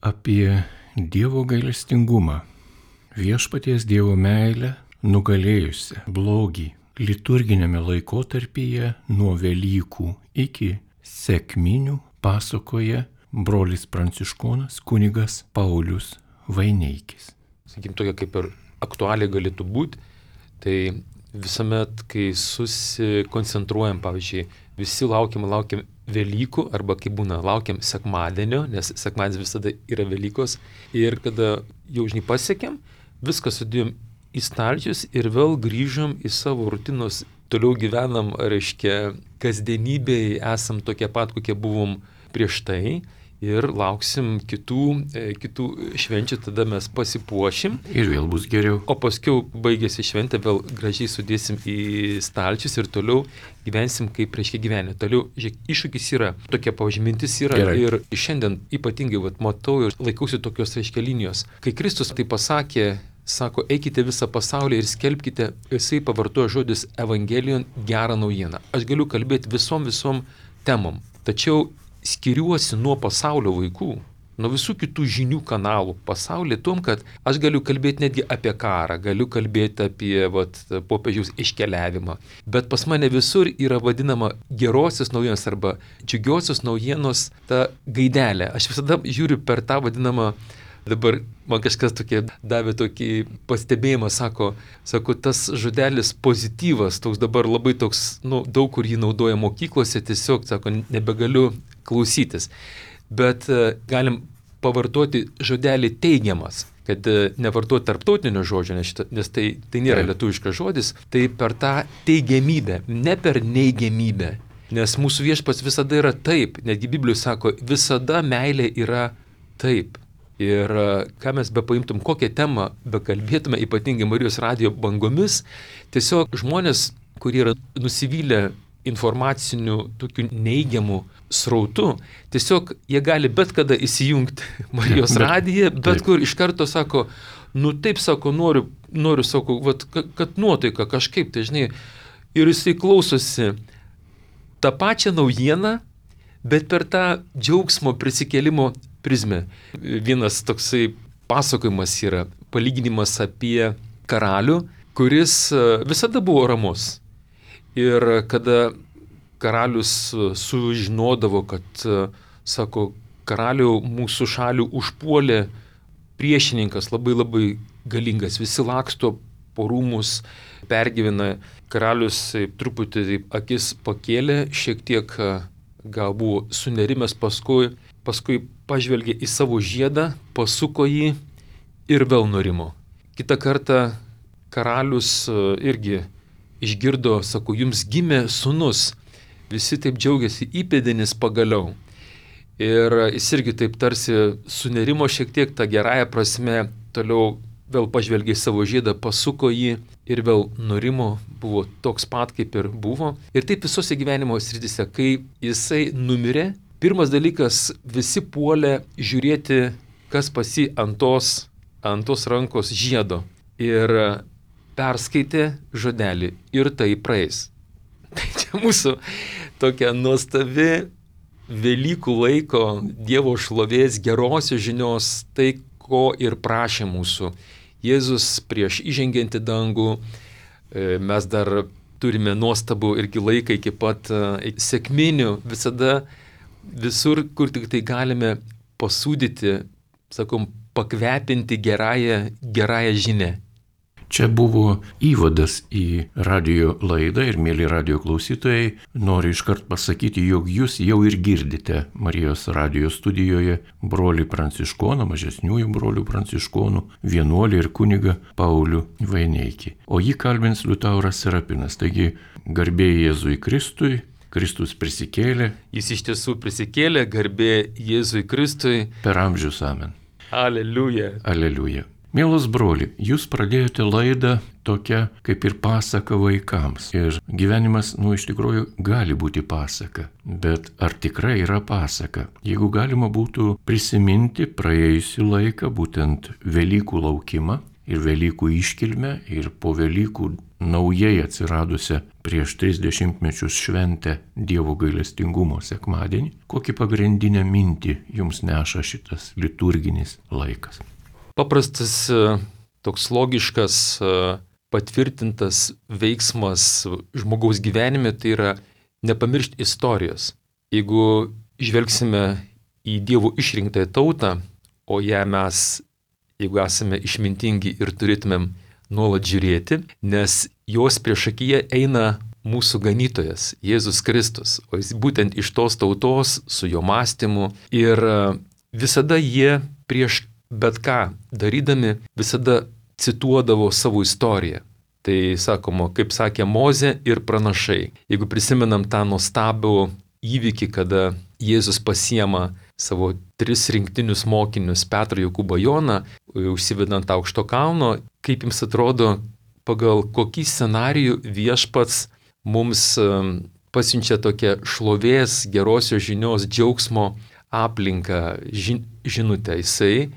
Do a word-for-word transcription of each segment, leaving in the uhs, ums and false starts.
apie Dievo gailestingumą, viešpaties Dievo meilę nugalėjusią blogį liturginėme laikotarpyje nuo Velykų iki sekminių pasakoja brolis pranciškonas kunigas Paulius Vaineikis. Sakykim, tokia kaip ir aktualiai galėtų būti, tai visuomet, kai susikoncentruojam, pavyzdžiui, visi laukiam, laukiam Velykų, arba kai būna, laukiam sekmadienio, nes sekmadienis visada yra Velykos, ir kada jau žinai pasiekėm, viską sudėjom į stalčius ir vėl grįžom į savo rutinos, toliau gyvenam, reiškia, kasdienybėje esam tokie pat, kokie buvom prieš tai, ir lauksim kitų, kitų švenčių, tada mes pasipuošim. Ir vėl bus geriau. O paskui baigėsi šventė, vėl gražiai sudėsim į stalčius ir toliau gyvensim kaip reiškia gyvenę. Toliau, žiūrėk, iššūkis yra, tokia pažymintis yra. Gerai. Ir šiandien ypatingai vat, matau ir laikausi tokios reiškia linijos. Kai Kristus tai pasakė, sako, eikite visą pasaulį ir skelbkite, jisai pavartojo žodis evangelijon, gerą naujieną. Aš galiu kalbėti visom visom temom, tačiau skiriuosi nuo pasaulio vaikų, nuo visų kitų žinių kanalų pasaulyje, tom, kad aš galiu kalbėti netgi apie karą, galiu kalbėti apie vat, popiežiaus iškeliavimą, bet pas mane visur yra vadinama gerosios naujienos arba džiugiosios naujienos ta gaidelė. Aš visada žiūriu per tą vadinamą, dabar man kažkas tokie davė tokį pastebėjimą, sako, sako, tas žodelis pozityvas, toks dabar labai toks, nu, daug kur jį naudoja mokyklose, tiesiog, sako, nebegaliu klausytis. Bet uh, galim pavartoti žodelį teigiamas, kad uh, nevartoti tarptautinio žodžio, nes, šita, nes tai, tai nėra lietuviškas žodis, tai per tą teigiamybę, ne per neigiamybę. Nes mūsų viešpats visada yra taip, netgi Biblijoje sako, visada meilė yra taip. Ir ką mes be paimtum, kokią temą be kalbėtume, ypatingai Marijos radijo bangomis, tiesiog žmonės, kurie yra nusivylę informacinių, tokių neigiamų srautų, tiesiog jie gali bet kada įsijungti Marijos radiją, bet kur iš karto sako, nu taip sako, noriu, noriu sako, vat, kad nuotaika kažkaip, tai žinai, ir jisai klausosi tą pačią naujieną, bet per tą džiaugsmo prisikėlimo prizmę. Vienas toksai pasakojimas yra, palyginimas apie karalių, kuris visada buvo ramus. Ir kada karalius sužinodavo, kad, sako, karalių mūsų šalių užpuolė priešininkas labai labai galingas, visi laksto po rūmus, pergyvena, karalius truputį taip, akis pakėlė, šiek tiek gal buvo sunerimęs, paskui, paskui pažvelgė į savo žiedą, pasuko jį ir vėl nurimo. Kitą kartą karalius irgi išgirdo, sako, jums gimė sūnus, visi taip džiaugiasi, įpėdinis pagaliau. Ir jis irgi taip tarsi sunerimo šiek tiek tą gerąją prasme, toliau vėl pažvelgė į savo žiedą, pasuko jį ir vėl nurimo, buvo toks pat kaip ir buvo. Ir taip visose gyvenimo srityse, kai jisai numirė, pirmas dalykas, visi puolė žiūrėti, kas pasi ant tos, ant tos rankos žiedo. Ir perskaitė žodelį ir tai praeis. Tai čia mūsų tokia nuostabi Velykų laiko Dievo šlovės gerosios žinios, tai ko ir prašė mūsų Jėzus prieš įžengiant į dangų. Mes dar turime nuostabų irgi laiką iki pat sekminių, visada visur, kur tik tai galime pasūdyti, sakom, pakvepinti gerąją, gerąją žinę. Čia buvo įvadas į radio laidą ir, mėly radio klausytojai, noriu iškart pasakyti, jog jūs jau ir girdite Marijos radio studijoje brolį pranciškoną, mažesniųjų brolių pranciškonų, vienuolį ir kunigą Paulių Vaineikį. O jį kalbins Liutauras Serapinas. Taigi, garbė Jėzui Kristui, Kristus prisikėlė. Jis iš tiesų prisikėlė, garbė Jėzui Kristui. Per amžius amen. Aleliuja. Aleliuja. Mielas broli, jūs pradėjote laidą tokia kaip ir pasaka vaikams. Ir gyvenimas, nu, iš tikrųjų gali būti pasaka. Bet ar tikrai yra pasaka? Jeigu galima būtų prisiminti praėjusių laiką, būtent Velykų laukimą ir Velykų iškilmę ir po Velykų naujai atsiradusią prieš tris dešimtmečius šventę Dievo gailestingumo sekmadienį. Kokį pagrindinę mintį jums neša šitas liturginis laikas? Paprastas, toks logiškas, patvirtintas veiksmas žmogaus gyvenime tai yra nepamiršti istorijos. Jeigu žvelgsime į Dievo išrinktąją tautą, o ją mes, jeigu esame išmintingi ir turėtumėm nuolat žiūrėti, nes jos priešakyje eina mūsų ganytojas, Jėzus Kristus, o jis būtent iš tos tautos, su jo mąstymu, ir visada jie prieš bet ką darydami, visada cituodavo savo istoriją. Tai sakoma, kaip sakė Mozė ir pranašai. Jeigu prisimenam tą nuostabų įvykį, kada Jėzus pasiema savo tris rinktinius mokinius, Petrą, Jokūbą, Joną, užsivedant aukšto kalno, kaip jums atrodo, pagal kokį scenarijų viešpats mums pasiunčia tokią šlovės, gerosios žinios, džiaugsmo aplinką, žin, žinutę. Jisai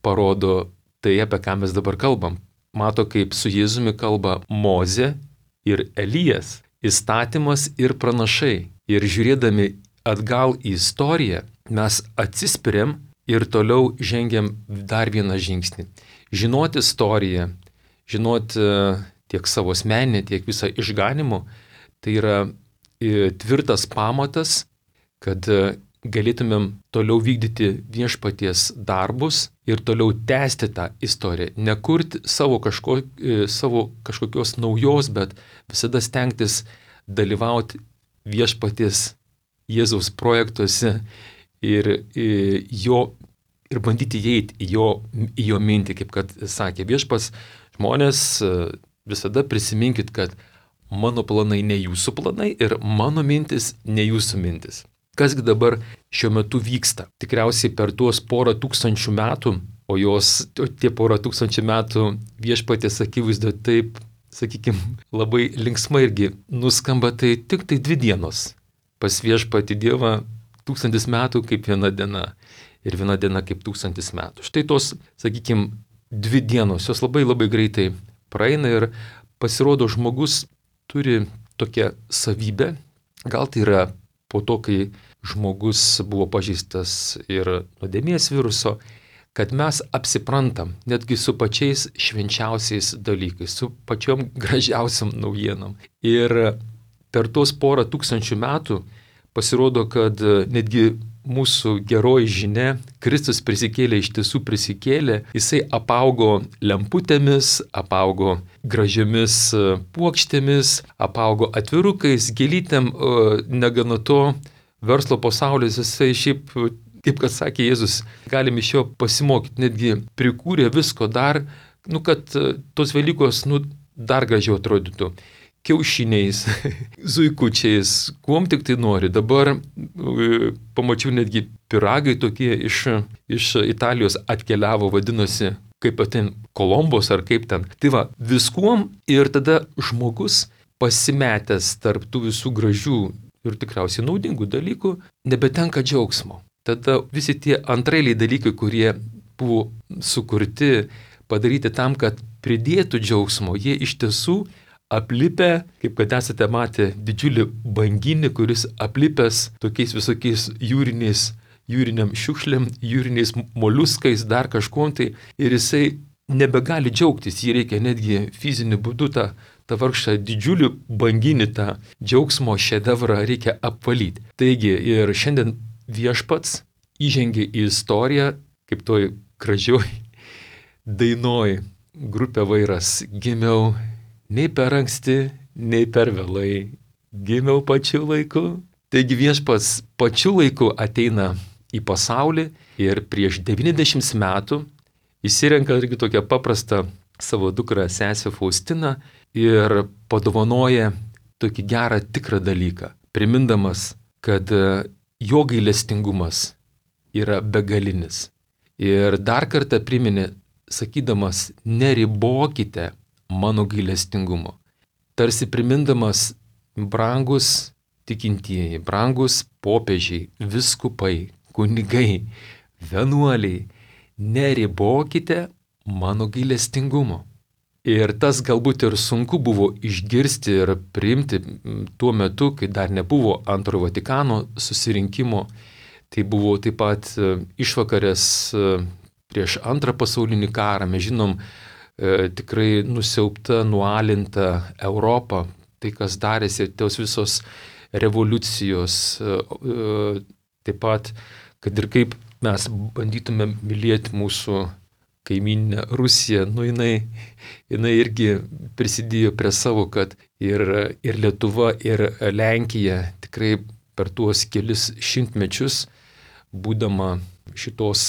parodo tai, apie ką mes dabar kalbam. Mato, kaip su Jėzumi kalba Mozė ir Elijas, įstatymas ir pranašai. Ir žiūrėdami atgal į istoriją, mes atsispiriam ir toliau žengiam dar vieną žingsnį. Žinoti istoriją, žinoti tiek savo asmeninę, tiek visą išganimo, tai yra tvirtas pamatas, kad galėtumėm toliau vykdyti viešpaties darbus ir toliau tęsti tą istoriją. Nekurti savo, kažko, savo kažkokios naujos, bet visada stengtis dalyvauti viešpaties Jėzaus projektuose ir, ir, jo, ir bandyti įeiti į jo, į jo mintį, kaip kad sakė viešpas, žmonės visada prisiminkit, kad mano planai ne jūsų planai ir mano mintis ne jūsų mintis. Kasgi dabar šiuo metu vyksta? Tikriausiai per tuos porą tūkstančių metų, o jos, tie porą tūkstančių metų viešpatės akivaizdoje taip, sakykime, labai linksmai irgi nuskamba, tai tik tai dvi dienos. Pas viešpatį Dievą tūkstantis metų kaip viena diena ir viena diena kaip tūkstantis metų. Štai tos, sakykime, dvi dienos, jos labai labai greitai praeina ir pasirodo žmogus turi tokią savybę, gal tai yra po to, kai žmogus buvo pažeistas ir nuodėmės viruso, kad mes apsiprantam netgi su pačiais švenčiausiais dalykais, su pačiom gražiausiam naujienom. Ir per tos porą tūkstančių metų pasirodo, kad netgi mūsų geroji žinia, Kristus prisikėlė, iš tiesų prisikėlė, jisai apaugo lemputėmis, apaugo gražiomis puokštėmis, apaugo atvirukais, gėlytėm, negana to, verslo pasaulis, jisai šiaip, kaip kad sakė Jėzus, galim iš jo pasimokyti, netgi prikūrė visko dar, nu, kad tos Velykos, nu, dar gražiau atrodytų. Kiaušiniais, zuikučiais, kuom tik tai nori. Dabar pamačiau netgi pyragai tokie iš, iš Italijos atkeliavo, vadinosi, kaip ten Kolombos ar kaip ten. Tai va, viskuom ir tada žmogus pasimetęs tarp tų visų gražių ir tikriausiai naudingų dalykų nebetenka džiaugsmo. Tada visi tie antrailiai dalykai, kurie buvo sukurti, padaryti tam, kad pridėtų džiaugsmo, jie iš tiesų aplipę, kaip kad esate matę, didžiulį banginį, kuris aplipęs tokiais visokiais jūriniais, jūriniam šiukšlėm, jūriniais moliuskais, dar kažkuom tai, ir jisai nebegali džiaugtis, jį reikia netgi fiziniu būdu tą, tą vargšą didžiulį banginį, tą džiaugsmo šedevrą reikia apvalyti. Taigi ir šiandien viešpats įžengė į istoriją, kaip toj gražioj dainoj grupė Vairas, gimiau nei per anksti, nei per vėlai, gimiau pačiu laiku. Taigi viešpats pačiu laiku ateina į pasaulį ir prieš devyniasdešimt metų įsirenka irgi tokią paprastą savo dukrą sesę Faustiną ir padovanoja tokį gerą tikrą dalyką, primindamas, kad jo gailestingumas yra begalinis. Ir dar kartą priminė, sakydamas, neribokite mano gailestingumo. Tarsi primindamas, brangus tikintieji, brangus popiežiai, viskupai, kunigai, vienuoliai, neribokite mano gailestingumo. Ir tas galbūt ir sunku buvo išgirsti ir priimti tuo metu, kai dar nebuvo antrojo Vatikano susirinkimo. Tai buvo taip pat išvakarės prieš antrą pasaulinį karą. Mes žinom tikrai nusiaubta, nualinta Europą. Tai, kas darėsi, tos visos revoliucijos. Taip pat, kad ir kaip mes bandytume mylėti mūsų kaimynę Rusiją, nu jinai, jinai irgi prisidėjo prie savo, kad ir, ir Lietuva, ir Lenkija tikrai per tuos kelis šimtmečius, būdama šitos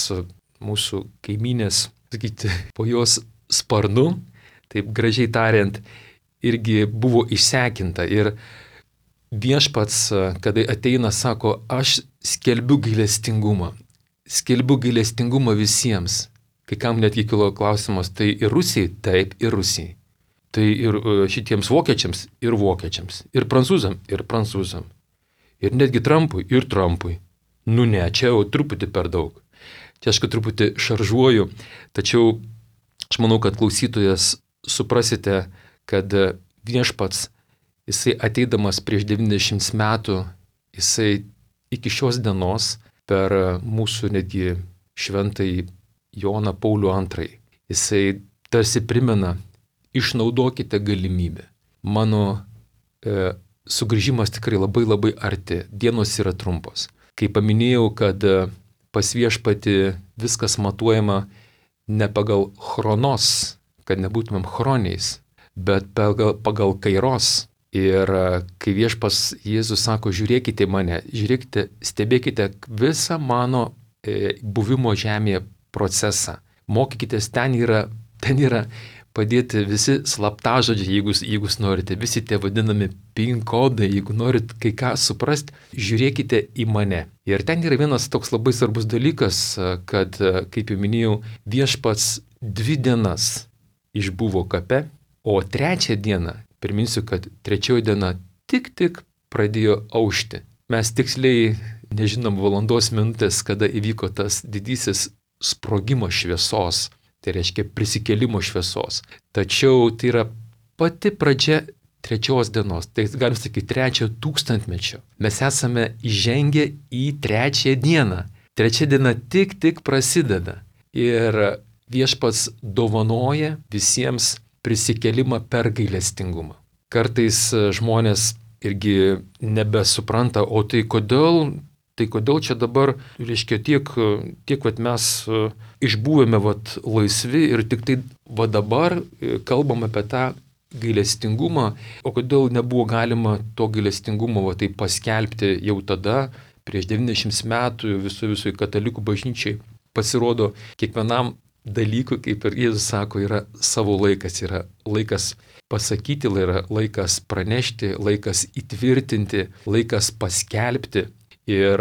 mūsų kaimynės, sakyti, po jos sparnu, taip gražiai tariant, irgi buvo išsekinta. Ir viešpats, kada ateina, sako, aš skelbiu gailestingumą, skelbiu gailestingumą visiems. Kai kam netgi kilo klausimas, tai ir Rusijai? Taip, ir Rusijai. Tai ir šitiems vokiečiams, ir vokiečiams. Ir prancūzam, ir prancūzam. Ir netgi Trumpui, ir Trumpui. Nu ne, čia jau truputį per daug. Čia aš kad truputį šaržuoju, tačiau aš manau, kad klausytojas suprasite, kad viešpats, jisai ateidamas prieš devyniasdešimt metų, jisai iki šios dienos per mūsų netgi šventąjį Joną Paulių antrąjį. Jisai tarsi primena, išnaudokite galimybę. Mano e, sugrįžimas tikrai labai labai arti, dienos yra trumpos. Kai paminėjau, kad pas viešpatį viskas matuojama ne pagal chronos, kad nebūtumėm chroniais, bet pagal, pagal kairos. Ir kai viešpas Jėzus sako, žiūrėkite į mane, žiūrėkite, stebėkite visą mano e, buvimo žemėje procesą. Mokykitės, ten yra, ten yra padėti visi slaptažodžiai, jeigu, jeigu norite, visi tie vadinami pin kodai, jeigu norit kai ką suprasti, žiūrėkite į mane. Ir ten yra vienas toks labai svarbus dalykas, kad, kaip jau minėjau, viešpats dvi dienas išbuvo kape, o trečią dieną, priminsiu, kad trečioji diena tik tik pradėjo aušti. Mes tiksliai nežinom valandos minutės, kada įvyko tas didysis sprogimo šviesos, tai reiškia prisikėlimo šviesos. Tačiau tai yra pati pradžia trečios dienos, tai galim sakyti trečiojo tūkstantmečio. Mes esame įžengę į trečią dieną. Trečia diena tik tik prasideda. Ir viešpats dovanoja visiems prisikėlimą per gailestingumą. Kartais žmonės irgi nebesupranta, o tai kodėl Tai kodėl čia dabar, reiškia, tiek, tiek vat mes išbuvome vat laisvi ir tik tai va dabar kalbam apie tą gailestingumą, o kodėl nebuvo galima to gailestingumo va taip paskelbti jau tada, prieš devyniasdešimt metų visų visų katalikų bažnyčiai. Pasirodo, kiekvienam dalykui, kaip ir Jėzus sako, yra savo laikas, yra laikas pasakyti, yra laikas pranešti, laikas įtvirtinti, laikas paskelbti. Ir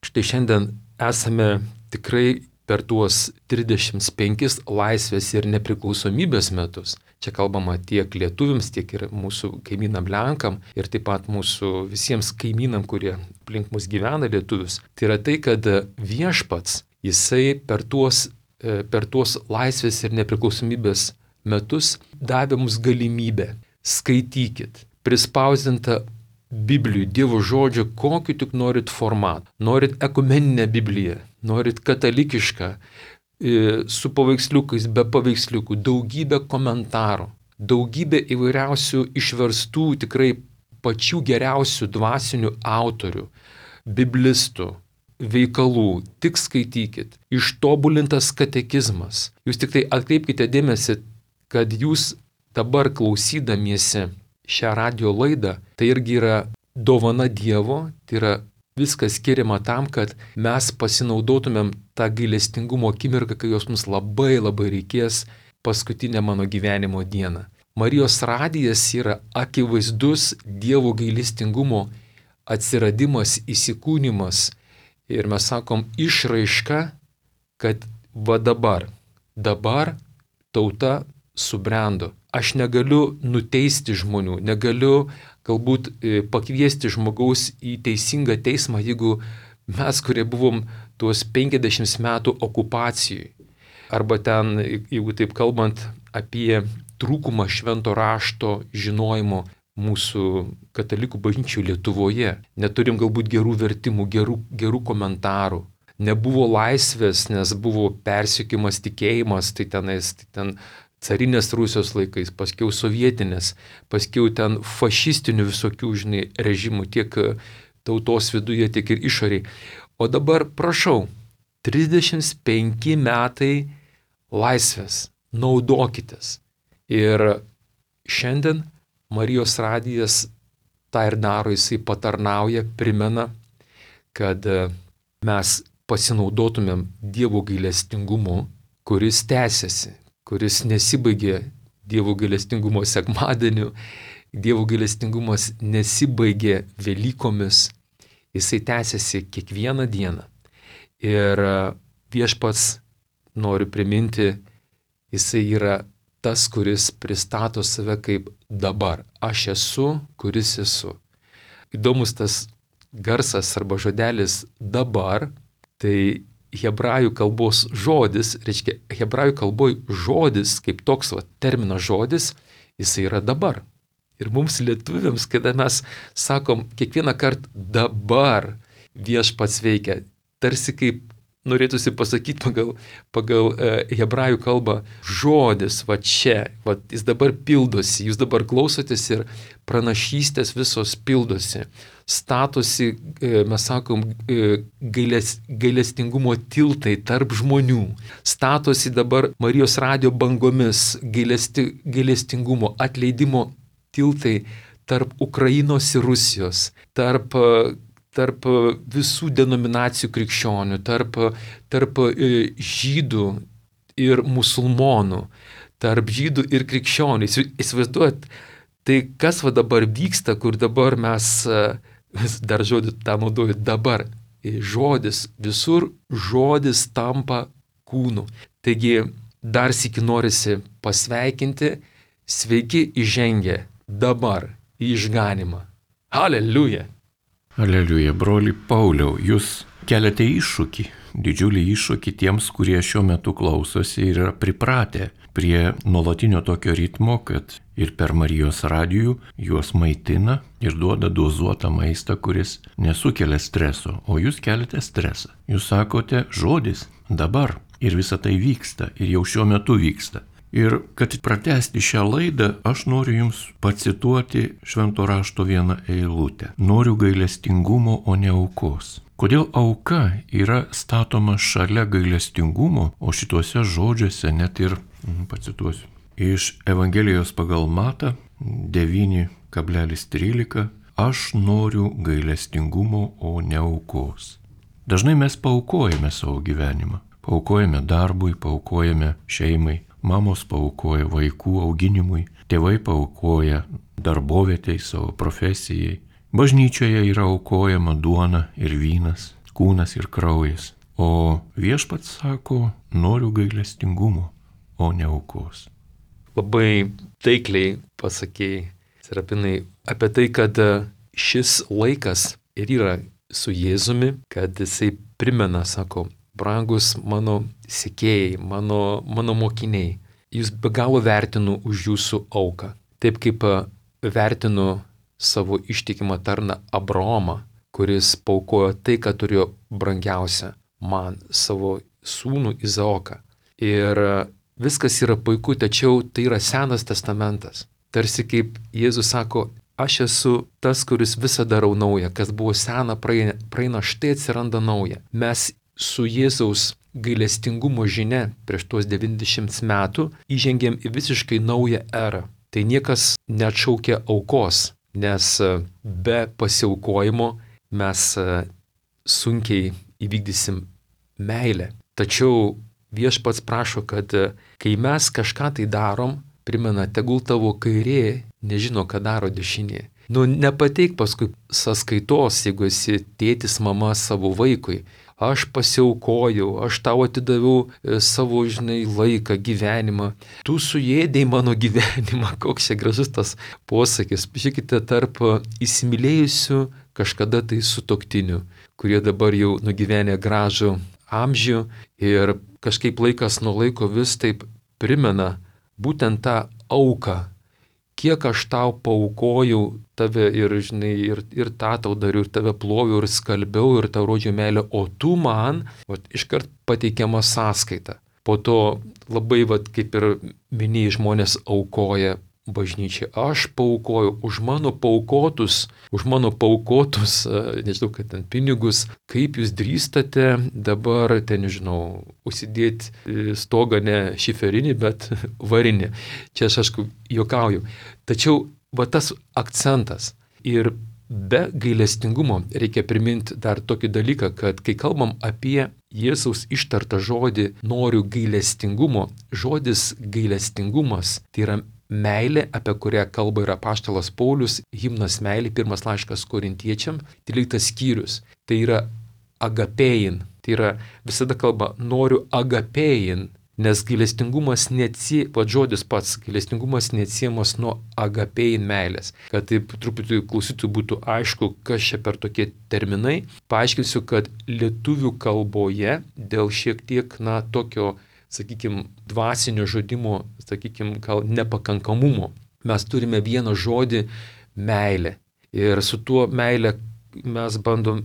štai šiandien esame tikrai per tuos trisdešimt penkis laisvės ir nepriklausomybės metus. Čia kalbama tiek lietuviams, tiek ir mūsų kaimynam Lenkam ir taip pat mūsų visiems kaimynam, kurie aplink mus gyvena lietuvius. Tai yra tai, kad viešpats, jisai per tuos, per tuos laisvės ir nepriklausomybės metus davė mums galimybę. Skaitykit, prispausdinta Biblijų, Dievo žodžio, kokiu tik norit formatą. Norit ekumeninę Bibliją, norit katalikišką, su paveiksliukais, be paveiksliukų, daugybę komentarų, daugybę įvairiausių išverstų tikrai pačių geriausių dvasinių autorių, biblistų, veikalų, tik skaitykit, ištobulintas katekizmas. Jūs tik tai atkreipkite dėmesį, kad jūs dabar klausydamiesi šią radio laidą, tai irgi yra dovana Dievo, tai yra viskas skiriama tam, kad mes pasinaudotumėm tą gailestingumo akimirką, kai jos mums labai labai reikės paskutinę mano gyvenimo dieną. Marijos radijas yra akivaizdus Dievo gailestingumo atsiradimas, įsikūnimas ir mes sakom išraiška, kad va dabar, dabar tauta subrendo. Aš negaliu nuteisti žmonių, negaliu galbūt pakviesti žmogaus į teisingą teismą, jeigu mes, kurie buvom tuos penkiasdešimt metų okupacijai. Arba ten, jeigu taip kalbant apie trūkumą švento rašto žinojimo mūsų katalikų bažnyčių Lietuvoje. Neturim galbūt gerų vertimų, gerų, gerų komentarų. Nebuvo laisvės, nes buvo persiekimas tikėjimas, tai tenais, tai ten carinės Rusijos laikais, paskiau sovietinės, paskiau ten fašistinių visokių, žinai, režimų, tiek tautos viduje, tiek ir išoriai. O dabar, prašau, trisdešimt penki metai laisvės, naudokitės. Ir šiandien Marijos radijas tą ir daro, jisai patarnauja, primena, kad mes pasinaudotumėm Dievo gailestingumu, kuris tęsiasi, kuris nesibaigė Dievo gailestingumo sekmadieniu, Dievo gailestingumas nesibaigė Velykomis, jisai tęsiasi kiekvieną dieną. Ir viešpats, noriu priminti, jisai yra tas, kuris pristato save kaip dabar. Aš esu, kuris esu. Įdomus tas garsas arba žodelis dabar, tai hebrajų kalbos žodis, reiškia, hebrajų kalboj žodis, kaip toks va, terminas žodis, jisai yra dabar. Ir mums lietuviams, kada mes sakom kiekvieną kartą dabar viešpats veikia, tarsi kaip norėtųsi pasakyti pagal, pagal e, hebrajų kalbą žodis, va čia, va, jis dabar pildosi, jūs dabar klausotės ir pranašystės visos pildosi, statosi, e, mes sakom, e, gailės, gailestingumo tiltai tarp žmonių, statosi dabar Marijos radijo bangomis gailesti, gailestingumo, atleidimo tiltai tarp Ukrainos ir Rusijos, tarp tarp visų denominacijų krikščionių, tarp, tarp žydų ir musulmonų, tarp žydų ir krikščionių. Įsivaizduojat, tai kas va dabar vyksta, kur dabar mes, dar žodį tą naudoju, dabar žodis, visur žodis tampa kūnu. Taigi dar sykį norisi pasveikinti, sveiki įžengę dabar į išganimą. Aleliuja! Aleliuja, broli Pauliau, jūs keliate iššūkį, didžiulį iššūkį tiems, kurie šiuo metu klausosi ir yra pripratę prie nuolatinio tokio ritmo, kad ir per Marijos radijų juos maitina ir duoda dozuotą maistą, kuris nesukelia streso, o jūs keliate stresą. Jūs sakote žodis dabar ir visa tai vyksta ir jau šiuo metu vyksta. Ir kad pratęsti šią laidą, aš noriu jums pacituoti švento rašto vieną eilutę. Noriu gailestingumo, o ne aukos. Kodėl auka yra statoma šalia gailestingumo, o šituose žodžiuose net ir, pacituosiu, iš Evangelijos pagal Matą devyni kablelis trylika, aš noriu gailestingumo, o ne aukos. Dažnai mes paaukojame savo gyvenimą. Paaukojame darbui, paaukojame šeimai. Mamos paaukoja vaikų auginimui, tėvai paaukoja darbovietei, savo profesijai. Bažnyčioje yra aukojama duona ir vynas, kūnas ir kraujas. O viešpats sako, noriu gailestingumo, o ne aukos. Labai taikliai pasakėjai, Serapinai, apie tai, kad šis laikas ir yra su Jėzumi, kad jisai primena, sako, brangus mano sekėjai, mano, mano mokiniai, jūs be galo vertinu už jūsų auką. Taip kaip vertinu savo ištikimą tarną Abraomą, kuris paukojo tai, ką turėjo brangiausia man, savo sūnų Izaoką. Ir viskas yra puiku, tačiau tai yra Senas testamentas. Tarsi kaip Jėzus sako, aš esu tas, kuris visą darau naują, kas buvo sena, praeina, praeina štai atsiranda nauja. Mes su Jėzaus gailestingumo žinia prieš tuos devyniasdešimt metų įžengėm į visiškai naują erą. Tai niekas neatšaukia aukos, nes be pasiaukojimo mes sunkiai įvykdysim meilę. Tačiau viešpats prašo, kad kai mes kažką tai darom, primena, tegul tavo kairė nežino, ką daro dešinė. Nu, nepateik paskui sąskaitos, jeigu esi tėtis, mama savo vaikui. Aš pasiaukojau, aš tau atidaviau savo, žinai, laiką, gyvenimą. Tu suėdėjai mano gyvenimą. Koks čia gražus tas posakis. Žiūrėkite, tarp įsimylėjusių kažkada tai sutuoktinių, kurie dabar jau nugyvenę gražų amžių ir kažkaip laikas nuo laiko vis taip primena būtent tą auką. Kiek aš tau paukojau tave ir, žinai, ir, ir tą tau dariau, ir tave ploviau, ir skalbiau, ir tau rodžiau meilę, o tu man, vat, iškart pateikiama sąskaita. Po to labai, vat, kaip ir minėjai, žmonės aukoja bažnyčiai. Aš paukojau už mano paukotus, už mano paukotus, nežinau, kad ten pinigus, kaip jūs drįstate dabar, ten, nežinau, užsidėti stogą ne šiferinį, bet varinį. Čia aš, aišku, juokauju. Tačiau va tas akcentas. Ir be gailestingumo reikia priminti dar tokį dalyką, kad kai kalbam apie Jėzaus ištartą žodį noriu gailestingumo, žodis gailestingumas tai yra meilė, apie kurią kalba ir apaštalas Paulius, himnas meilė, pirmas laiškas korintiečiam, tryliktas skyrius. Tai yra agapėjin, tai yra visada kalba noriu agapėjin, nes gailestingumas neatsie, pat žodis pats, gailestingumas neatsiemas nuo agapėjin meilės. Kad taip truputį klausytojų būtų aišku, kas čia per tokie terminai, paaiškinsiu, kad lietuvių kalboje dėl šiek tiek, na, tokio sakykime, dvasinio žodimo, sakykime, gal nepakankamumo. Mes turime vieną žodį meilė. Ir su tuo meilė mes bandom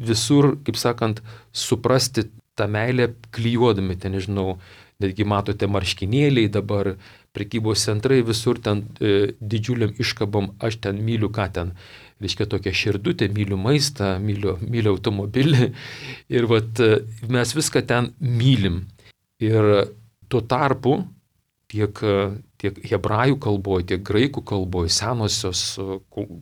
visur, kaip sakant, suprasti tą meilę klijuodami, ten, nežinau, netgi matote marškinėliai dabar, prekybos centrai, visur ten e, didžiuliam iškabom, aš ten myliu, ką ten, reiškia tokia širdutė, myliu maistą, myliu, myliu automobilį. Ir vat mes viską ten mylim. Ir tuo tarpu tiek, tiek hebrajų kalboje, tiek graikų kalboje, senosios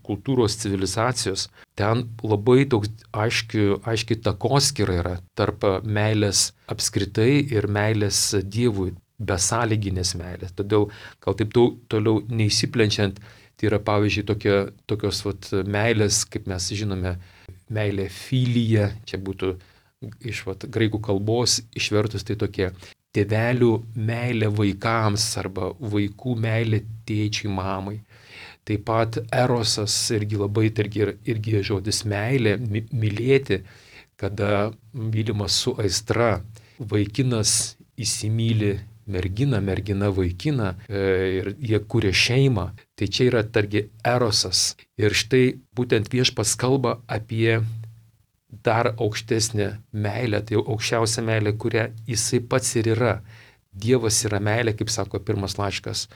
kultūros civilizacijos, ten labai toks aiški, aiški takoskyra yra tarp meilės apskritai ir meilės Dievui, besąlyginės meilės. Todėl, gal taip toliau neįsiplenčiant, tai yra pavyzdžiui tokia, tokios vat, meilės, kaip mes žinome, meilė filija, čia būtų iš vat, graikų kalbos išvertus tai tokie tėvelių meilė vaikams arba vaikų meilė tėčiui, mamai. Taip pat erosas irgi labai, irgi, irgi žodis meilė, mylėti, kada mylimas su aistra, vaikinas įsimyli merginą, mergina vaikiną ir jie kuria šeimą. Tai čia yra targi erosas. Ir štai būtent Viešpats kalba apie dar aukštesnė meilė, tai aukščiausia meilė, kurią jisai pats ir yra. Dievas yra meilė, kaip sako pirmas laiškas,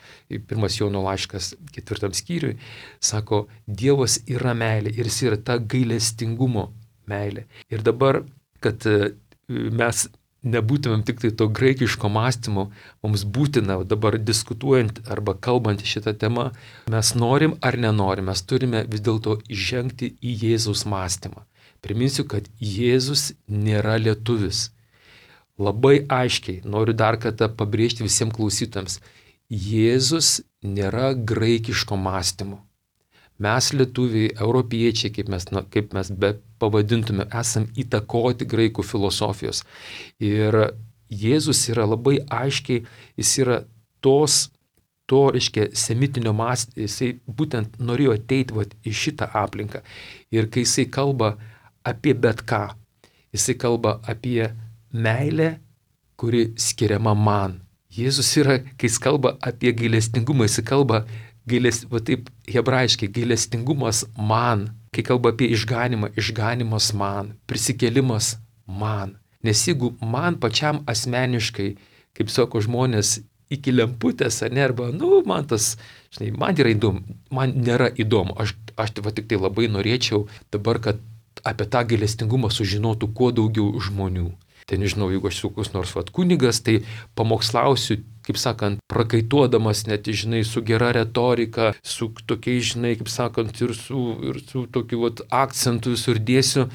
pirmas Jono laiškas ketvirtam skyriui, sako, Dievas yra meilė ir jis yra ta gailestingumo meilė. Ir dabar, kad mes nebūtumėm tik tai to graikiško mąstymo, mums būtina dabar diskutuojant arba kalbant šitą temą, mes norim ar nenorim, mes turime vis dėlto įžengti į Jėzaus mąstymą. Priminsiu, kad Jėzus nėra lietuvis. Labai aiškiai, noriu dar kartą pabrėžti visiems klausytams, Jėzus nėra graikiško mąstymo. Mes lietuviai, europiečiai, kaip mes, na, kaip mes be pavadintume, esam įtakoti graikų filosofijos. Ir Jėzus yra labai aiškiai, jis yra tos, to, reiškia, semitinio mąstymo, jisai būtent norėjo ateiti vat, į šitą aplinką. Ir kai jisai kalba apie bet ką. Jisai kalba apie meilę, kuri skiriama man. Jėzus yra, kai jis kalba apie gailestingumą, jisai kalba, gailest, va taip hebrajiškai, gailestingumas man. Kai kalba apie išganimą, išganimas man, prisikėlimas man. Nes jeigu man pačiam asmeniškai, kaip sako žmonės, iki lemputės, ar ne, arba, nu, man tas, žinai, man yra įdomu, man nėra įdomu. Aš, aš va tik tai labai norėčiau dabar, kad apie tą gailestingumą sužinotų kuo daugiau žmonių. Tai nežinau, jeigu aš esu koks nors vat kunigas, tai pamokslausiu, kaip sakant, prakaituodamas net, žinai, su gera retorika, su tokiais, žinai, kaip sakant, ir su, ir su tokiu vat akcentu visur dėsiu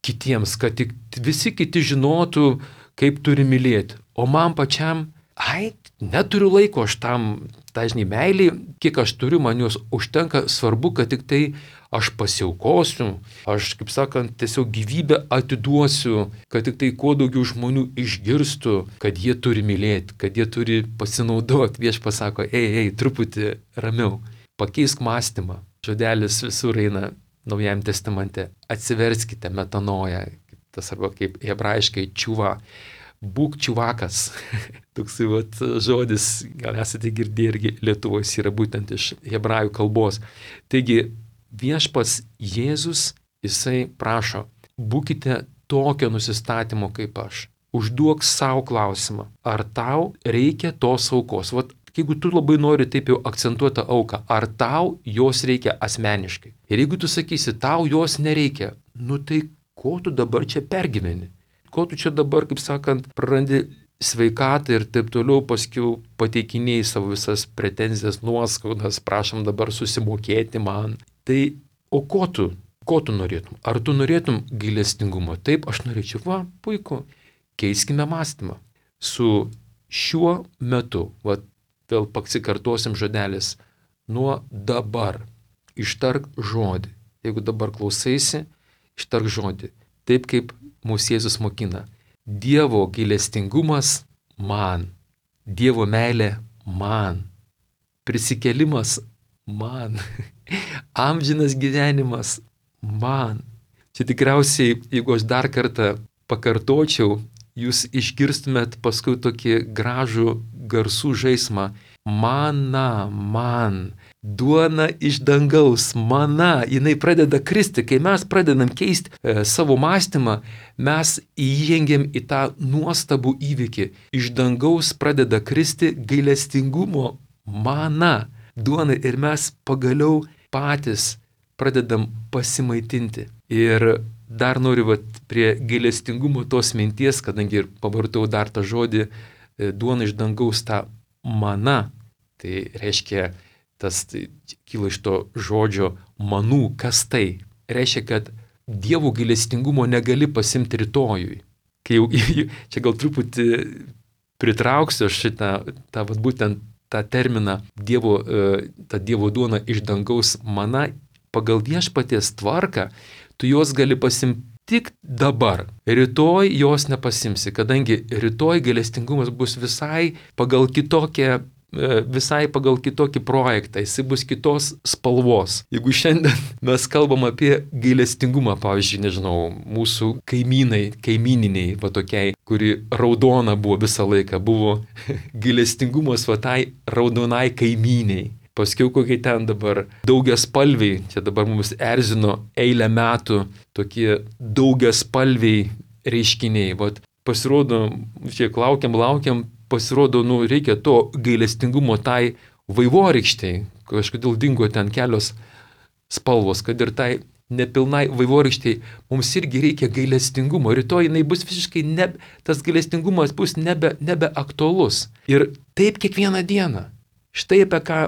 kitiems, kad tik visi kiti žinotų, kaip turi mylėti. O man pačiam, ai, neturiu laiko aš tam, dažnai meiliai, kiek aš turiu, man jos užtenka, svarbu, kad tik tai aš pasiaukosiu, aš, kaip sakant, tiesiog gyvybę atiduosiu, kad tik tai kuo daugiau žmonių išgirstų, kad jie turi mylėti, kad jie turi pasinaudoti. Viešpats sako, ei, ei, truputį ramiau, pakeisk mąstymą. Žodelis visur eina Naujajame testamente, atsiverskite metanoją, tas arba kaip hebrajiškai čiuva, būk čiuvakas. Toksai vat žodis, gal esate girdėję irgi Lietuvos, yra būtent iš hebrajų kalbos. Taigi viešpats Jėzus, jisai prašo, būkite tokio nusistatymo kaip aš. Užduok savo klausimą, ar tau reikia tos aukos. Vat, jeigu tu labai nori taip jau akcentuoti auką, ar tau jos reikia asmeniškai. Ir jeigu tu sakysi, tau jos nereikia, nu tai ko tu dabar čia pergyveni? Ko tu čia dabar, kaip sakant, prarandi sveikatą ir taip toliau, paskiau pateikinėjai savo visas pretenzijas, nuoskaudas, prašom dabar susimokėti man. Tai o ko tu? Ko tu norėtum? Ar tu norėtum gailestingumo? Taip, aš norėčiau, va, puiku. Keiskime mąstymą. Su šiuo metu, va, vėl pasikartosim žodelis, nuo dabar ištark žodį. Jeigu dabar klausaisi, ištark žodį. Taip kaip mūsų Jėzus mokina. Dievo gailestingumas man. Dievo meilė man. Prisikėlimas man. Amžinas gyvenimas man. Čia tikriausiai, jeigu aš dar kartą pakartočiau, jūs išgirstumėt paskui tokį gražų garsų žaismą. Mana, man, duona iš dangaus, mana, jinai pradeda kristi. Kai mes pradedam keisti e, savo mąstymą, mes įžengiam į tą nuostabų įvykį. Iš dangaus pradeda kristi gailestingumo mana, duona ir mes pagaliau patys pradedam pasimaitinti. Ir dar noriu vat, prie gailestingumo tos minties, kadangi ir pavartau dar tą žodį e, duona iš dangaus, tą mana. Tai reiškia, tas tai, kyla iš to žodžio manų, kas tai. Reiškia, kad Dievo gailestingumo negali pasimti rytojui. Kai jau, čia gal truputį pritrauksiu šitą, tą, vat, būtent tą terminą Dievo, e, tą Dievo duona iš dangaus mana, pagal viešpaties tvarką, tu jos gali pasimti tik dabar. Rytoj jos nepasimsi, kadangi rytoj gailestingumas bus visai pagal kitokią, visai pagal kitokį projektą, jis bus kitos spalvos. Jeigu šiandien mes kalbam apie gailestingumą, pavyzdžiui, nežinau, mūsų kaimynai, kaimyniniai, va tokiai, kuri raudona buvo visą laiką, buvo gailestingumas va tai raudonai kaimyniai. Paskiau kokie ten dabar daugiaspalviai, čia dabar mums erzino eilę metų tokie daugiaspalviai reiškiniai. Vat pasirodo, čia laukiam, laukiam, pasirodo, nu, reikia to gailestingumo tai vaivorykštei. Kažkodėl dingo ten kelios spalvos, kad ir tai nepilnai vaivorykštei mums irgi reikia gailestingumo. Rytoj jinai bus visiškai, ne, tas gailestingumas bus nebe, nebe aktualus. Ir taip kiekvieną dieną. Štai apie ką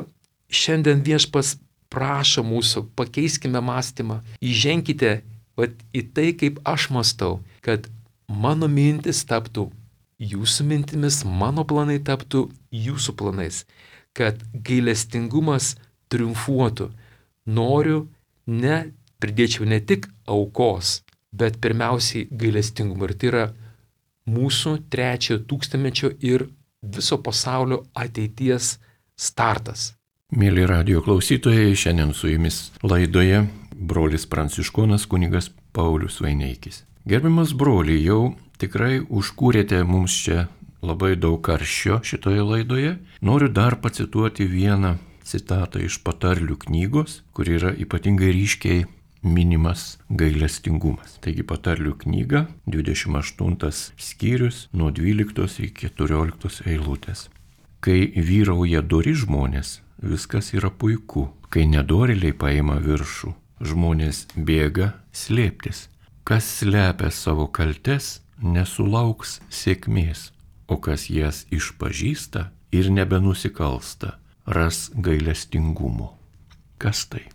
šiandien viešpas prašo mūsų, pakeiskime mąstymą, įženkite vat, į tai, kaip aš mąstau, kad mano mintis taptų jūsų mintimis, mano planai taptų jūsų planais, kad gailestingumas triumfuotų. Noriu, ne, pridėčiau ne tik aukos, bet pirmiausiai gailestingumą. Ir tai yra mūsų trečiojo tūkstantmečio ir viso pasaulio ateities startas. Mėly radijo klausytojai, šiandien su jumis laidoje brolis pranciškonas kunigas Paulius Vaineikis. Gerbiamas broli, jau tikrai užkūrėte mums čia labai daug karščio šitoje laidoje. Noriu dar pacituoti vieną citatą iš Patarlių knygos, kur yra ypatingai ryškiai minimas gailestingumas. Taigi Patarlių knyga, dvidešimt aštuntas skyrius, nuo dvyliktos iki keturioliktos eilutės. Kai vyrauja dori žmonės, viskas yra puiku. Kai nedorėliai paima viršų, žmonės bėga slėptis. Kas slepia savo kaltes, nesulauks sėkmės, o kas jas išpažįsta ir nebenusikalsta, ras gailestingumo. Kas tai?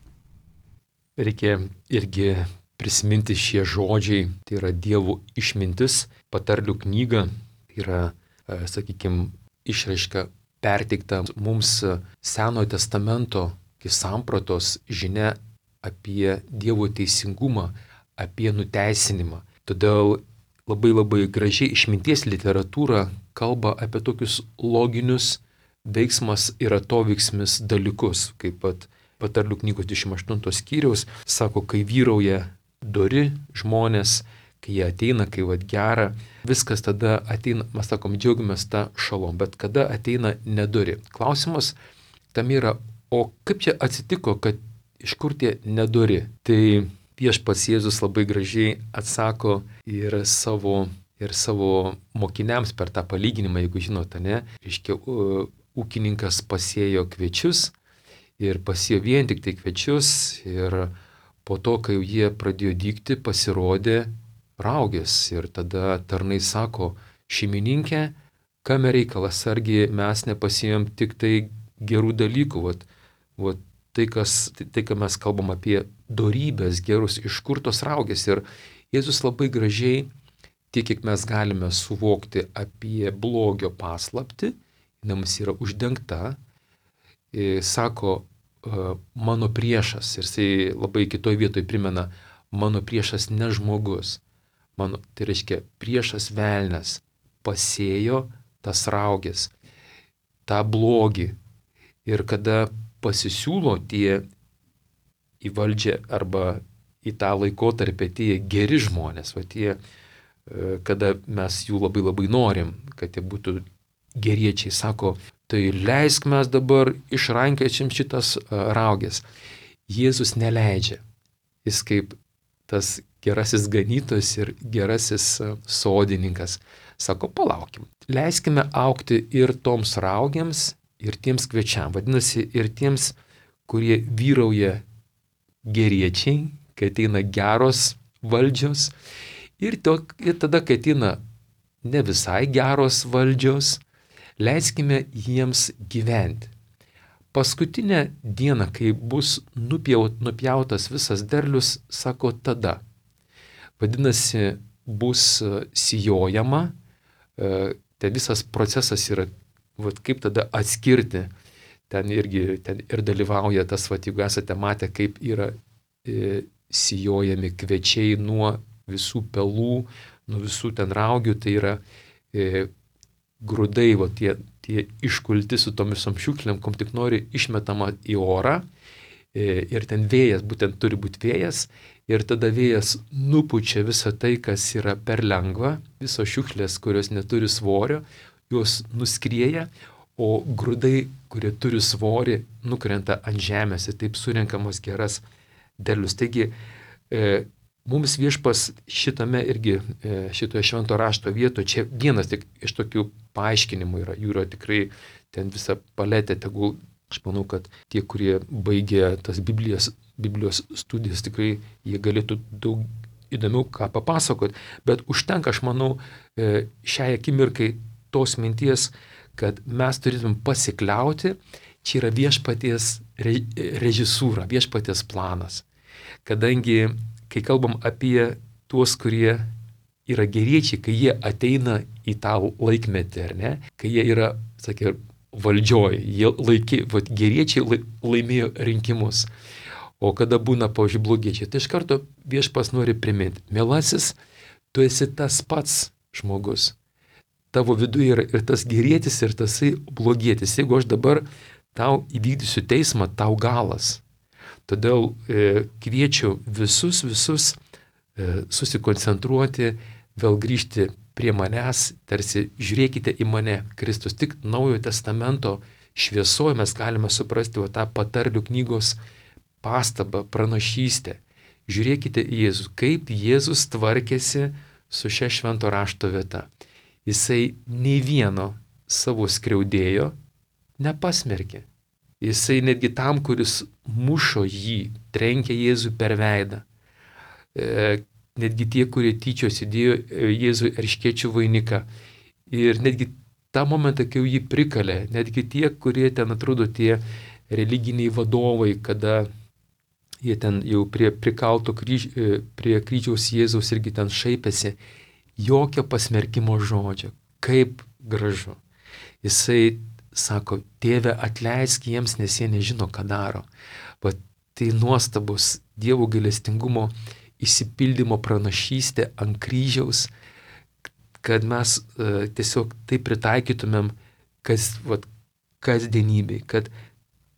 Reikia irgi prisiminti šie žodžiai, tai yra Dievo išmintis, Patarlių knyga, yra, sakykime, išraiška perteikta mums Senojo testamento sampratos žinia apie Dievo teisingumą, apie nuteisinimą. Todėl labai labai gražiai išminties literatūra kalba apie tokius loginius veiksmas ir atoveiksmis dalykus, kaip pat Patarlių knygos dvidešimt aštuntos skyriaus sako, kai vyrauja dori žmonės, kai jie ateina, kai vat gera, viskas tada ateina, mes sakom, džiaugiamės tą šalom, bet kada ateina nedori. Klausimas tam yra, o kaip čia atsitiko, kad iš kur tie nedori? Tai viešpats Jėzus labai gražiai atsako ir savo, ir savo mokiniams per tą palyginimą, jeigu žinote, ne, reiškia, ūkininkas pasėjo kviečius ir pasėjo vien tik tai kviečius ir po to, kai jie pradėjo dygti, pasirodė raugės ir tada tarnai sako, šeimininkė, kame reikalas, argi mes nepasėjom tik tai gerų dalykų, vat, vat, tai, kas, tai, tai, ką mes kalbam apie dorybės gerus, iš kur tos raugės. Ir Jėzus labai gražiai, tiek kiek mes galime suvokti apie blogio paslaptį, mums yra uždengta, sako, mano priešas, ir jisai labai kitoj vietoj primena, mano priešas ne žmogus. Mano, tai reiškia, priešas velnias pasėjo tas raugės, tą blogį. Ir kada pasisiūlo tie į valdžią arba į tą laikotarpį tie geri žmonės, va tie, kada mes jų labai labai norim, kad jie būtų geriečiai, sako, tai leisk mes dabar išrankėčiam šitas raugės. Jėzus neleidžia. Jis kaip tas gerasis ganytojas ir gerasis sodininkas. Sako, palaukim, leiskime augti ir toms raugiams, ir tiems kviečiam. Vadinasi, ir tiems, kurie vyrauja geriečiai, kai ateina geros valdžios, ir, to, ir tada, kai ateina ne visai geros valdžios, leiskime jiems gyventi. Paskutinę dieną, kai bus nupjaut, nupjautas visas derlius, sako tada. Vadinasi, bus sijojama, tai visas procesas yra, vat, kaip tada atskirti, ten irgi ten ir dalyvauja tas, vat, jeigu esate matę, kaip yra e, sijojami kviečiai nuo visų pelų, nuo visų ten raugių, tai yra e, grūdai, va, tie, tie iškulti su tomis šiukšlėm, kom tik nori išmetama į orą e, ir ten vėjas, būtent turi būti vėjas, ir tada vėjas nupučia visą tai, kas yra per lengva, visos šiukšlės, kurios neturi svorio, jos nuskrieja, o grūdai, kurie turi svorį, nukrenta ant žemės ir taip surenkamos geras derlius. Taigi, e, mums viešpas šitame irgi, e, šitoje švento rašto vietoje, čia vienas tik iš tokių paaiškinimų yra, jų yra tikrai ten visa paletė, tegul, aš manau, kad tie, kurie baigė tas Biblijos, Biblijos studijas, tikrai jie galėtų daug įdomiau ką papasakoti, bet užtenka, aš manau, e, šiai akimirkai tos minties, kad mes turėtum pasikliauti, čia yra viešpaties re, režisūra, viešpaties planas. Kadangi, kai kalbam apie tuos, kurie yra geriečiai, kai jie ateina į tą laikmetį, ar ne, kai jie yra, sakė, valdžioj, jie laikė, vat, geriečiai laimėjo rinkimus, o kada būna, pavyzdžiui, blogiečiai, tai iš karto viešpas nori priminti, mielasis, tu esi tas pats žmogus. Tavo viduje yra ir tas gerietis, ir tasai blogietis. Jeigu aš dabar tau įvykdysiu teismą, tau galas. Todėl e, kviečiu visus, visus e, susikoncentruoti, vėl grįžti prie manęs, tarsi žiūrėkite į mane, Kristus. Tik Naujojo Testamento šviesoje mes galime suprasti va, tą patarlių knygos pastabą, pranašystę. Žiūrėkite į Jėzų, kaip Jėzus tvarkėsi su šia švento rašto vieta. Jisai nei vieno savo skriaudėjo nepasmerkė. Jisai netgi tam, kuris mušo jį, trenkė Jėzų per veidą. E, netgi tie, kurie tyčiosi, dėjo Jėzui erškėčių vainiką. Ir netgi tą momentą, kai jį prikalė, netgi tie, kurie ten atrodo tie religiniai vadovai, kada jie ten jau prie prikalto kryž, prie kryžiaus Jėzaus irgi ten šaipėsi, jokio pasmerkimo žodžio. Kaip gražu. Jisai sako, Tėve, atleisk jiems, nes jie nežino, ką daro. Bet tai nuostabus Dievo gailestingumo išsipildymo pranašystė ant kryžiaus, kad mes uh, tiesiog tai pritaikytumėm kas, vat, kasdienybei, kad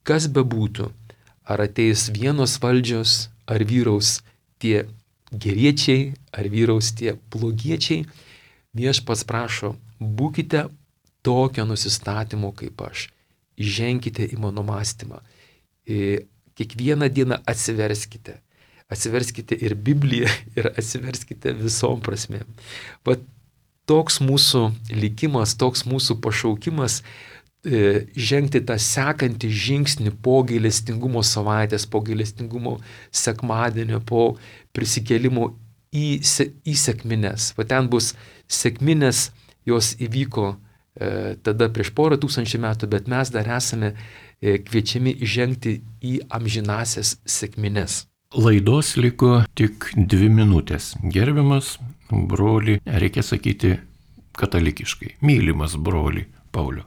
kas bebūtų, ar ateis vienos valdžios, ar vyraus tie geriečiai, ar vyraus tie blogiečiai, Viešpats prašo, būkite tokio nusistatymo kaip aš. Įženkite į mano mąstymą. Kiekvieną dieną atsiverskite. Atsiverskite ir Bibliją, ir atsiverskite visom prasmėm. Vat toks mūsų likimas, toks mūsų pašaukimas e, žengti tą sekantį žingsnį po gailestingumo savaitės, po gailestingumo sekmadienio, po prisikėlimo į, į sekmines. Va ten bus sekminės, jos įvyko e, tada prieš porą tūkstančių metų, bet mes dar esame e, kviečiami žengti į amžinasias sekmines. Laidos liko tik dvi minutės. Gerbiamas broli, reikia sakyti katalikiškai, mylimas broli Pauliau.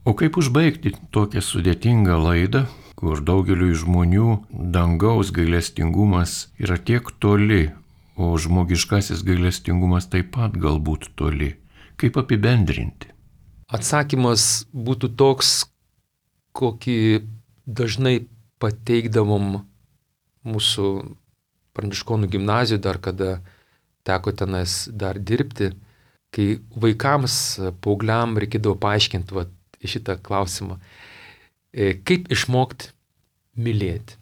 O kaip užbaigti tokią sudėtingą laidą, kur daugeliui žmonių dangaus gailestingumas yra tiek toli, o žmogiškasis gailestingumas taip pat galbūt toli? Kaip apibendrinti? Atsakymas būtų toks, kokį dažnai pateikdavom mūsų pranciškonų gimnazijoje, dar kada teko tenais dar dirbti, kai vaikams, paaugliam reikėdavo paaiškinti va, šitą klausimą. Kaip išmokti mylėti?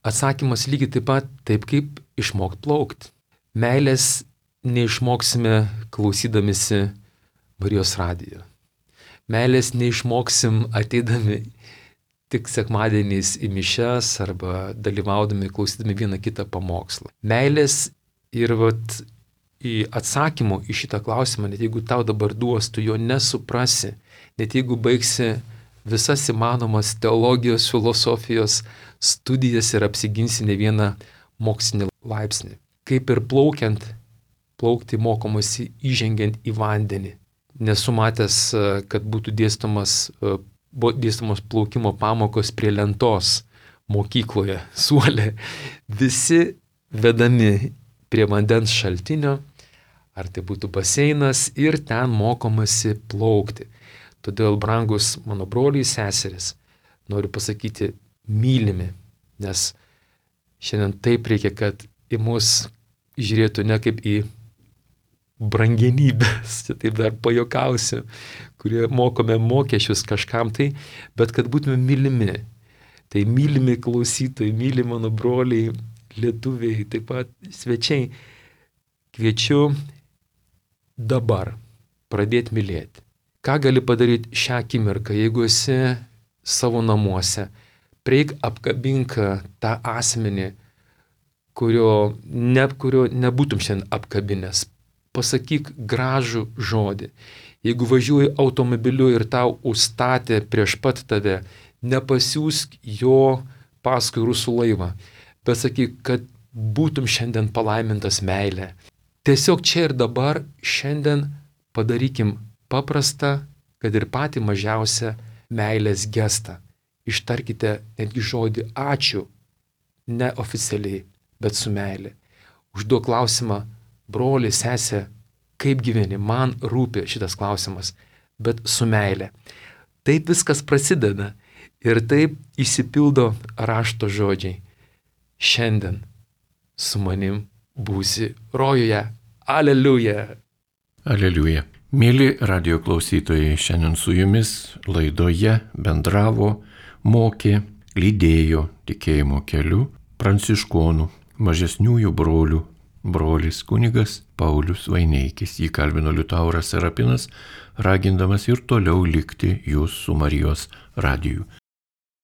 Atsakymas lygiai taip pat taip, kaip išmokti plaukti. Meilės neišmoksime klausydamisi Marijos radijo. Meilės neišmoksim ateidami tik sekmadieniais į mišias arba dalyvaudami, klausydami vieną kitą pamokslą. Meilės ir vat, į atsakymų į šitą klausimą, net jeigu tau dabar duos, tu jo nesuprasi, net jeigu baigsi visas įmanomas teologijos, filosofijos studijas ir apsiginsi ne vieną mokslinį laipsnį. Kaip ir plaukiant, plaukti mokomasi įžengiant į vandenį. Nesu matęs, kad būtų dėstomas buvo dėstamos plaukimo pamokos prie lentos mokykloje, suole. Visi vedami prie vandens šaltinio, ar tai būtų baseinas, ir ten mokomasi plaukti. Todėl, brangus mano broliai seseris, noriu pasakyti, mylimi, nes šiandien taip reikia, kad į mus žiūrėtų ne kaip į brangenybės, čia taip dar pajokausiu, kurie mokome mokesčius kažkam tai, bet kad būtume mylimi. Tai mylimi klausytojai, mylimi mano broliai, lietuviai, taip pat svečiai, kviečiu dabar pradėti mylėti. Ką gali padaryti šią akimirką, jeigu esi savo namuose, prieik apkabink tą asmenį, kurio, ne, kurio nebūtum šiandien apkabinęs. Pasakyk gražų žodį. Jeigu važiuoji automobiliu ir tau užstatė prieš pat tave, nepasiųsk jo paskui rusų laivą, bet sakyk, kad būtum šiandien palaimintas meilė. Tiesiog čia ir dabar šiandien padarykim paprastą, kad ir patį mažiausią meilės gestą. Ištarkite netgi žodį ačiū, neoficialiai, bet su meilė. Užduok klausimą, broli, sesė, kaip gyveni, man rūpi šitas klausimas, bet su meilė. Taip viskas prasideda ir taip įsipildo rašto žodžiai. Šiandien su manim būsi rojuje. Aleliuja. Aleliuja. Mėly radijo klausytojai, šiandien su jumis laidoje bendravo, mokė, lydėjo tikėjimo keliu pranciškonų, mažesniųjų brolių, brolis kunigas Paulius Vaineikis. Jį kalbino Liutauras Serapinas, ragindamas ir toliau likti jūs su Marijos radiju.